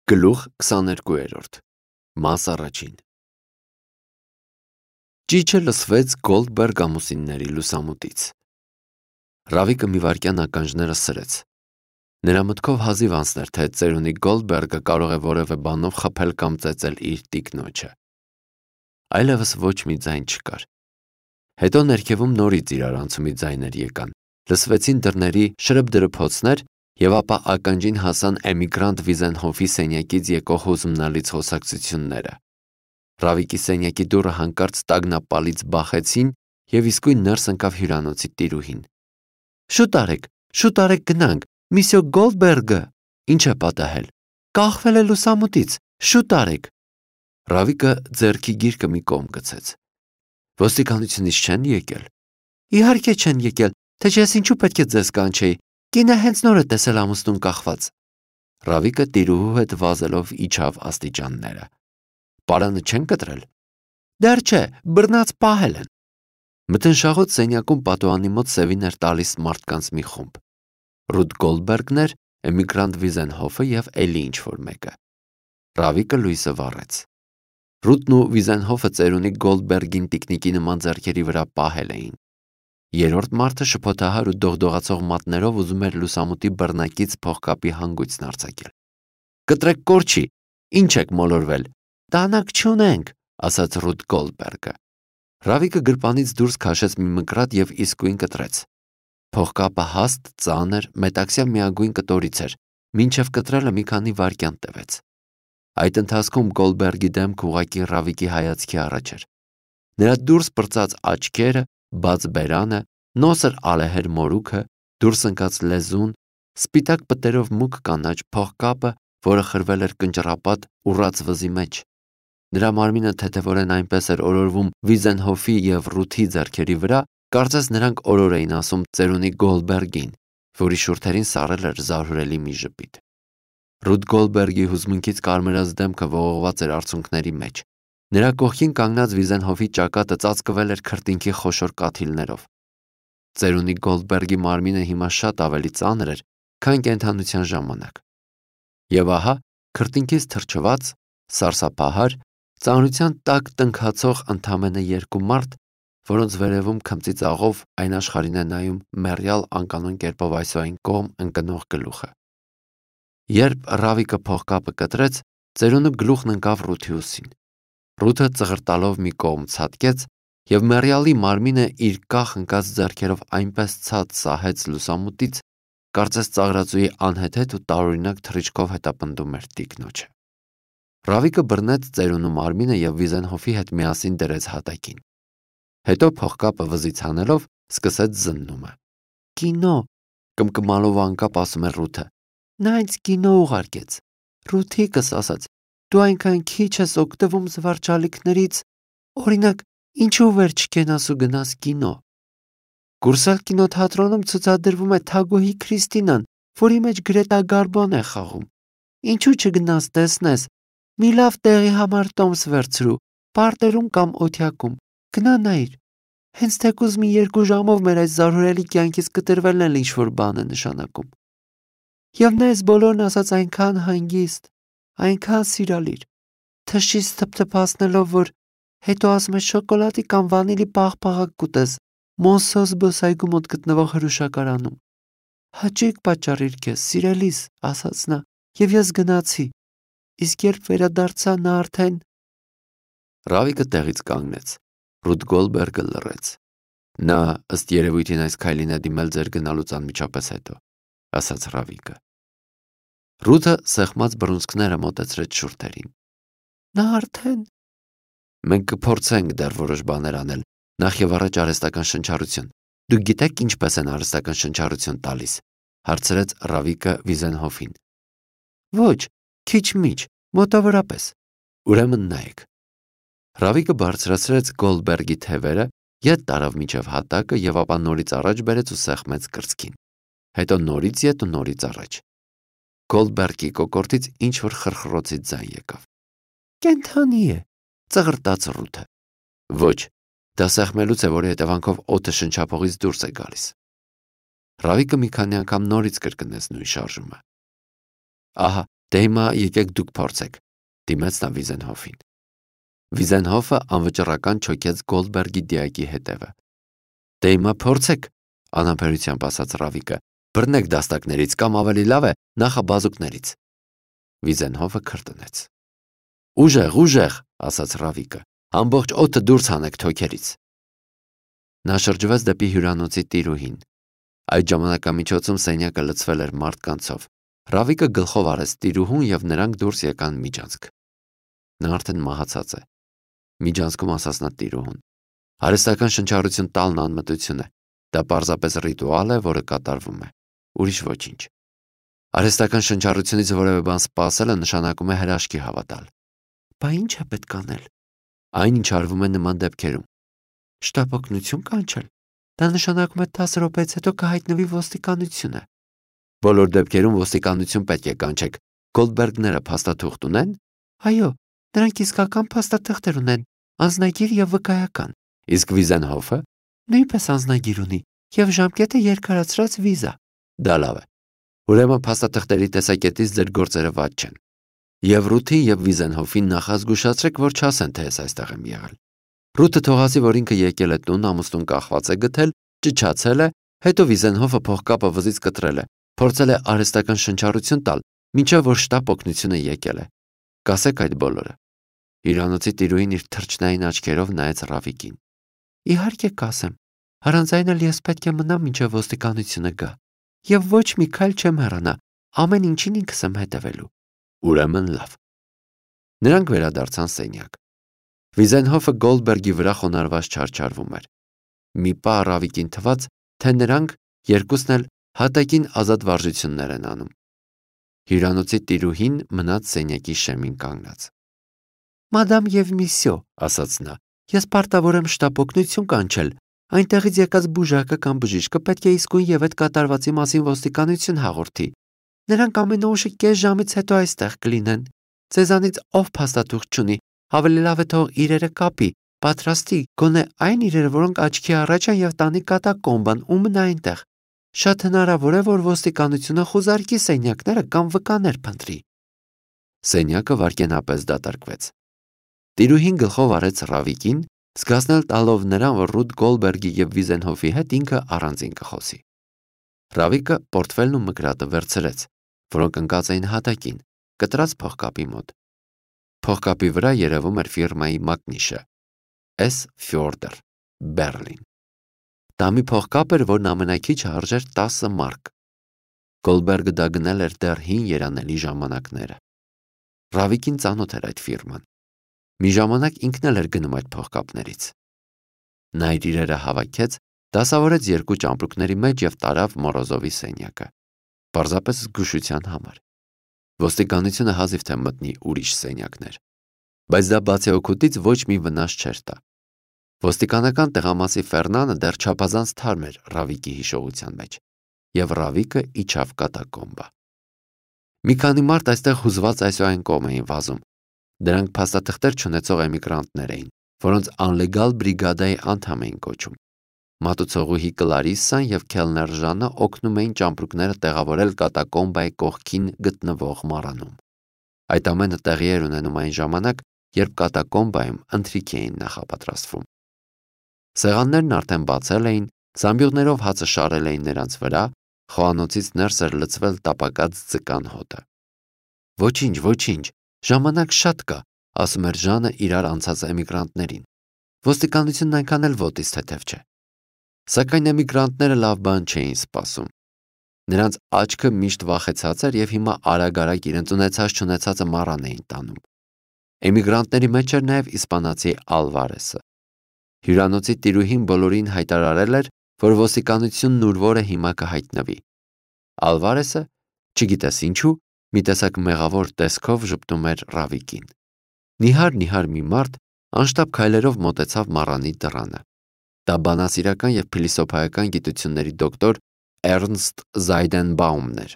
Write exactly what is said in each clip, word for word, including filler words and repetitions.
Գլուխ քսաներկուերորդ Մաս առաջին Ճիչը լսվեց Գոլդբերգ ամուսինների լուսամուտից։ Ռավիկը մի վայրկյան ականջները սրեց։ Նրա մտքով հազիվ անցներ, թե ծերունի Գոլդբերգը կարող է որևէ բանով խփել կամ ծեծել իր տիկնոջը։ Այլևս ոչ մի ձայն չկար։ Հետո ներքևում նորից իրարանցումի ձայներ եկան, լսվեցին դռների շրըբդրփոցներ, և ապա ականջին հասան էմիգրանտ Վիզենհոֆի սենյակից եկող հուզմնալից խոսակցությունները։ Ռավիկի սենյակի դուռը հանկարծ տագնապալից բախեցին, և իսկույն ներս ընկավ հյուրանոցի տիրուհին։ Շուտ արեք, շուտ արեք գնանք, Միսյո Գոլդբերգը ինչ է պատահել, կախվել է լուսամուտից, շուտ արեք։ Ռավիկը ձեռքի գիրկը մի կողմ գցեց։ Ոստիկանությունից չեն եկել։ Իհարկե չեն եկել, թե չէ ես ինչու պետք է ձեզ կանչեի, կինը հենց նոր է տեսել ամուսնուն կախված։ Ռավիկը տիրուհու հետ վազելով իջավ աստիճանները։ Պարանը չեն կտրել։ Դեռ չէ, բռնած պահել են։ Մթնշաղոտ սենյակում պատուհանի մոտ սևին էր տալիս մարդկանց մի խումբ։ Ռուդ Գոլդբերգն էր, էմիգրանտ Վիզենհոֆը և էլի ինչ-որ մեկը։ Ռավիկը լույսը վառեց։ Ռուդն ու Վիզենհոֆը ծերունի Գոլդբերգին տիկնիկի նման ձեռքերի վրա պահել էին։ Երրորդ մարդը շփոթահար ու դողդողացող մատներով ուզում էր լուսամուտի բռնակից փողկապի հանգույցն արձակել։ Կտրեք կորչի, ինչ եք մոլորվել, դանակ չունենք, ասաց Ռուդ Գոլդբերգը։ Ռավիկը գրպանից դուրս քաշեց մի մկրատ և իսկույն կտրեց։ Փողկապը հաստ, ծանր, մետաքսյա միագույն կտորից էր, մինչև կտրելը մի քանի վայրկյան տևեց։ Այդ ընթացքում Գոլդբերգի դեմքը ուղղակի Ռավիկի հայացքի առաջ էր։ Նրա դուրս պրծած աչքերը, բաց բերանը, նոսր ալեհեր մորուքը, դուրս ընկած լեզուն, սպիտակ պտերով մուգ կանաչ փողկապը, որը խրվել էր կնճռապատ ուռած վզի մեջ։ Նրա մարմինը թեթևորեն այնպես էր օրորվում Վիզենհոֆի և Ռութի ձեռքերի վրա, կարծես նրանք օրոր էին ասում ծերունի Գոլդբերգին, որի շուրթերին սառել էր զարհուրելի մի ժպիտ։ Ռուդ Գոլդբերգի հուզմունքից կարմրած դեմքը ողողված էր արցունքների մեջ։ Նրա կողքին կանգնած Վիզենհոֆի ճակատը ծածկվել էր քրտինքի խոշոր կաթիլներով։ Ծերունի Գոլդբերգի մարմինը հիմա շատ ավելի ծանր էր, քան կենդանության ժամանակ։ Եվ ահա, քրտինքից թրջված, սարսափահար, ծանրության տակ տնքացող ընդամենը երկու մարդ, որոնց վերևում քմծի ծաղով այն աշխարհին է նայում մեռյալ անկանոն կերպով այսօ այն կողմ ընկնող գլուխը։ Երբ Ռավիկը փողկապը կտրեց, ծերունու գլուխն ընկավ Ռութի ուսին։ Ռութը ծղրտալով մի կողմ ցատկեց, և մեռյալի մարմինը իր կախ ընկած ձեռքերով այնպես ցած սահեց լուսամուտից, կարծես ծաղրածուի անհեթեթ ու տարօրինակ թռիչքով հետապնդում էր տիկնոջը։ Ռավիկը բռնեց ծերունու մարմինը և Վիզենհոֆի հետ միասին դրեց հատակին։ Հետո փողկապը վզից հանելով սկսեց զննումը։ Կինո, կմկմալով անկապ ասում էր Ռութը։ Նա ինձ կինո ուղարկեց։ Ռութիկս ասաց, դու այնքան քիչ ես օգտվում զվարճալիքներից, օրինակ, ինչու վեր չկենաս ու գնաս կինո։ Կուրսալ կինոթատրոնում ցուցադրվում է Թագուհի Քրիստինան, որի մեջ Գրետա Գարբոն է խաղում։ Ինչու չգնաս տեսնես, մի լավ տեղի համար տոմս վերցրու, պարտերում կամ օթյակում, գնա նայիր։ Հենց թեկուզ մի երկու ժամով մեր այս զարհուրելի կյանքից կտրվելն էլ ինչ-որ բան է նշանակում։ Եվ ներս բոլորն ասաց այնքան հանգիստ, այնքան սիրալիր, թշից թփթփացնելով, որ հետո ասում է շոկոլադի կամ վանիլի պաղպաղակ կուտես Մոնսո զբոսայգու մոտ գտնվող հրուշակարանում։ Հաճույք պատճառիր քեզ, սիրելիս, ասաց նա, և ես գնացի։ Իսկ երբ վերադարձա, նա արդեն… Ռավիկը տեղից կանգնեց։ Ռուդ Գոլդբերգը լռեց։ Նա ըստ երևույթին այս քայլին է դիմել ձեր գնալուց անմիջապես հետո, ասաց Ռավիկը։ Ռութը սեղմած բռունցքները մոտեցրեց շուրթերին։ Նա արդեն… Մենք կփորձենք դեռ որոշ բաներ անել, նախ և առաջ արհեստական շնչառություն։ Դուք գիտեք ինչպես են արհեստական շնչառություն տալիս, հարցրեց Ռավիկը Վիզենհոֆին։ Ոչ, քիչ-միչ, մոտավորապես։ Ուրեմն նայեք։ Ռավիկը բարձրացրեց Գոլդբերգի թևերը, ետ տարավ մինչև հատակը և ապա նորից առաջ բերեց ու սեղմեց կրծքին։ Հետո նորից ետ ու նորից առաջ։ Գոլդբերգի կոկորդից ինչ-որ խրխրոցի ձայն եկավ։ Կենդանի է, ծղրտաց Ռութը։ Ոչ, դա սեղմելուց է, որի հետևանքով օդը շնչափողից դուրս է գալիս։ Ռավիկը մի քանի անգամ նորից կրկնեց նույն շարժումը։ Ահա, Դե հիմա եկեք դուք փորձեք, դիմեց նա Վիզենհոֆին։ Վիզենհոֆը անվճռական չոքեց Գոլդբերգի դիակի հետևը։ Դե հիմա փորձեք, անհամբերությամբ ասաց Ռավիկը, բռնեք դաստակներից կամ ավելի լավ է նախաբազուկներից։ Վիզենհոֆը քրտնեց։ Ուժեղ, ուժեղ, ասաց Ռավիկը, ամբողջ օդը դուրս հանեք թոքերից։ Նա շրջվեց դեպի հյուրանոցի տիրուհին։ Այդ ժամանակամիջոցում սենյակը լցվել էր մարդկանցով։ Ռավիկը գլխով արեց տիրուհուն և նրանք դուրս եկան միջանցք։ Նա արդեն մահացած է։ Միջանցքում ասաց նա տիրուհուն։ Արհեստական շնչառություն տալն անմտություն է։ Դա պարզապես ռիտուալ է, որը կատարվում է։ Ուրիշ ոչինչ։ Արհեստական շնչառությունից որևէ բան սպասելը նշանակում է հրաշքի հավատալ։ Բա ինչ է պետք անել։ Այն, ինչ արվում է նման դեպքերում։ Շտապօգնություն կանչել։ Դա նշանակում է տասը րոպեից հետո կհայտնվի ոստիկանությունը։ Բոլոր դեպքերում ոստիկանություն պետք է կանչեք։ Գոլդբերգները փաստաթուղթ ունեն։ Այո, նրանք իսկական փաստաթղթեր ունեն, անձնագիր և վկայական։ Իսկ Վիզենհոֆը նույնպես անձնագիր ունի և ժամկետը երկարացրած վիզա։ Դա լավ է։ Ուրեմն փաստաթղթերի տեսակետից ձեր գործերը վատ չեն։ Եվ Ռութին և Վիզենհոֆին նախազգուշացրեք, որ չասեն, թե ես այստեղ եմ եղել։ Ռութը թողասի, որ ինքը եկել է տուն, ամուսնուն կախված է գտել, ճչացել է, հետո Վիզենհոֆը փողկապը վզից կտրել է, փորձել է արհեստական շնչառություն տալ, մինչև որ շտապ օգնությունը եկել է։ Կասեք այդ բոլորը։ Հյուրանոցի տիրուհին իր թրջնային աչքերով նայեց Ռավիկին։ Իհարկե կասեմ, առանց այն էլ ես պետք է մնամ մինչև ոստիկանությունը գա։ Եվ ոչ մի քայլ չեմ հեռանա, ամեն ինչին ինքս եմ հետևելու։ Ուրեմն լավ։ Նրանք վերադարձան սենյակ։ Վիզենհոֆը Գոլդբերգի վրա խոնարհված չարչարվում էր։ Մի պահ Ռավիկին թվաց, թե նրանք երկուսն էլ հատակին ազատ վարժություններ են անում։ Հյուրանոցի տիրուհին մնաց սենյակի շեմին կանգնած։ Մադամ և միսյո, ասաց նա, ես պարտավոր եմ շտապօգնություն կանչել։ Այնտեղից եկած բուժակը կամ բժիշկը պետք է իսկույն և այդ կատարվածի մասին ոստիկանություն հաղորդի։ Նրանք ամենաուշը կես ժամից հետո այստեղ կլինեն։ Ձեզանից ով փաստաթուղթ չունի, ավելի լավ է թող իրերը կապի, պատրաստի, գոնե այն իրերը, որոնք աչքի առաջ են և տանի կատակոմբան ու մնա այնտեղ։ Շատ հնարավոր է, որ ոստիկանությունը խուզարկի սենյակները կամ վկաներ փնտրի։ Սենյակը վայրկենապես դատարկվեց։ Տիրուհին գլխով արեց Ռավիկին, զգացնել տալով նրան, որ Ռութ Գոլդբերգի և Վիզենհոֆի հետ ինքը առանձին կխոսի։ Ռավիկը պորտֆելն ու մկրատը վերցրեց, որոնք ընկած էին հատակին, կտրած փողկապի մոտ։ Փողկապի վրա երևում էր ֆիրմայի մակնիշը՝ S. Fjoerder, Բեռլին։ Դա մի փողկապ էր, որն ամենաքիչը արժեր տասը մարկ։ Գոլդբերգը դա գնել էր դեռ հին երանելի ժամանակները։ Ռավիկին ծանոթ էր այդ ֆիրման։ Մի ժամանակ ինքն էլ էր գնում այդ փողկապներից։ Նա իր իրերը հավաքեց, դասավորեց երկու ճամպրուկների մեջ և տարավ Մորոզովի սենյակը։ Պարզապես զգուշության համար։ Ոստիկանությունը հազիվ թե մտնի ուրիշ սենյակներ։ Բայց դա բացի օգուտից ոչ մի վնաս չէր տա։ Ոստիկանական տեղամասի Ֆերնանը դեռ չափազանց թարմ էր Ռավիկի հիշողության մեջ, և Ռավիկը իջավ կատակոմբա։ Մի քանի մարդ այստեղ հուզված այսուայն կողմ էին վազում։ Դրանք փաստաթղթեր չունեցող էմիգրանտներ էին, որոնց անլեգալ բրիգադայի անդամ էին կոչում։ Մատուցողուհի Կլարիսսան և քելներ Ժանը օգնում էին ճամպրուկները տեղավորել կատակոմբայի կողքին գտնվող մառանում։ Այդ ամենը տեղի էր ունենում այն ժամանակ, երբ կատակոմբայում ընթրիք էին նախապատրաստվում։ Սեղաններն արդեն բացել էին, զամբյուղներով հացը շարել էին նրանց վրա, խոհանոցից ներս էր լցվել տապակած ձկան հոտը։ Ոչինչ, ոչինչ, ժամանակ շատ կա, ասում էր Ժանը իրար անցած էմիգրանտներին։ Ոստիկանությունն այնքան էլ ոտից թեթև չէ։ Սակայն էմիգրանտները լավ բան չէին սպասում։ Նրանց աչքը միշտ վախեցած էր և հիմա արագ-արագ իրենց ունեցած-չունեցածը մառան էին տանում։ Էմիգրանտների մեջ էր նաև իսպանացի Ալվարեսը։ Հյուրանոցի տիրուհին բոլորին հայտարարել էր, որ ոստիկանությունն ուր որը հիմա կհայտնվի։ Ալվարեսը, չգիտես ինչու, մի տեսակ մեղավոր տեսքով ժպտում էր Ռավիկին։ Նիհար-նիհար մի մարդ անշտապ քայլերով մոտեցավ մառանի դռանը։ Դա բանասիրական և փիլիսոփայական գիտությունների դոկտոր Էրնստ Զայդենբաումն էր։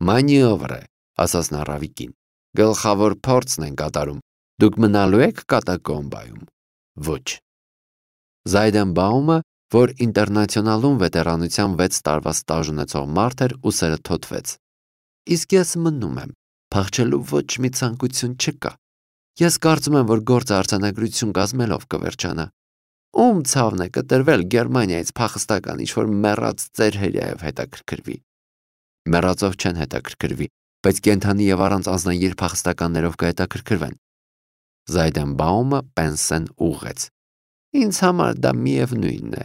Մանիովր է, ասաց նա Ռավիկին։ Գլխավոր փորձն են կատարում։ Դուք մնալու եք կատակոմբայում։ Ոչ։ Զայդենբաումը, որ ինտերնացիոնալում վետերանության վեց տարվա ստաժ ունեցող մարդ էր, ուսերը թոթվեց։ Իսկ ես մնում եմ։ Փախչելու ոչ մի ցանկություն չկա։ Ես կարծում եմ, որ գործը արձանագրություն կազմելով կվերջանա։ Ում ցավն է կտրվել Գերմանիայից փախստական ինչ-որ մեռած ծեր հերյայով հետաքրքրվի։ Մեռածով չեն հետաքրքրվի, բայց կենդանի եւ առանց անձնագիր փախստականներով կհետաքրքրվեն։ Զայդենբաումը Պենսեն ուղղեց։ Ինձ համար դա միևնույնն է։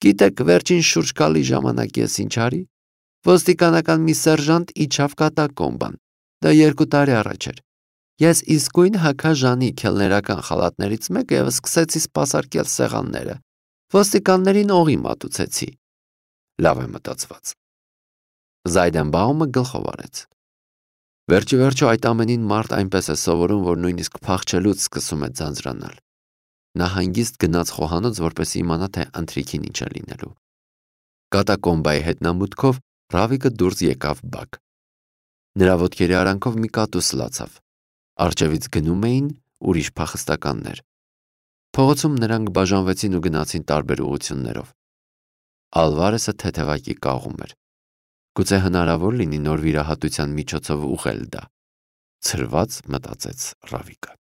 Գիտեք, վերջին շուրջ գալի ժամանակ ես ինչ արի։ Ոստիկանական մի սերժանտ իջավ կատակոմբան։ Դա երկու տարի առաջ էր։ Ես իսկույն հագաժանի քելներական խալատներից մեկը եւ սկսեցի սպասարկել սեղանները։ Ոստիկաններին օղի մատուցեցի։ Լավ է մտածված։ Զայդենբաումը գլխով արեց։ Վերջի վերջո այդ ամենին մարդ այնպես է սովորում, որ նույնիսկ փախչելուց սկսում է ձանձրանալ։ Նա հանգիստ գնաց խոհանոց, որպեսզի իմանա, թե ընթրիքին ինչ է լինելու։ Կատակոմբայի հետնամուտքով Ռավիկը դուրս եկավ բակ։ Նրա ոտքերի արանքով մի կատու սլացավ։ Արջևից գնում էին ուրիշ փախստականներ։ Փողոցում նրանք բաժանվեցին ու գնացին տարբեր ուղություններով։ Ալվարեսը թեթևակի կաղում էր։ Գուցե հնարավոր լինի նոր վիրահատության միջոցով ուղղել դա։ Ցրված մտածեց Ռավիկը։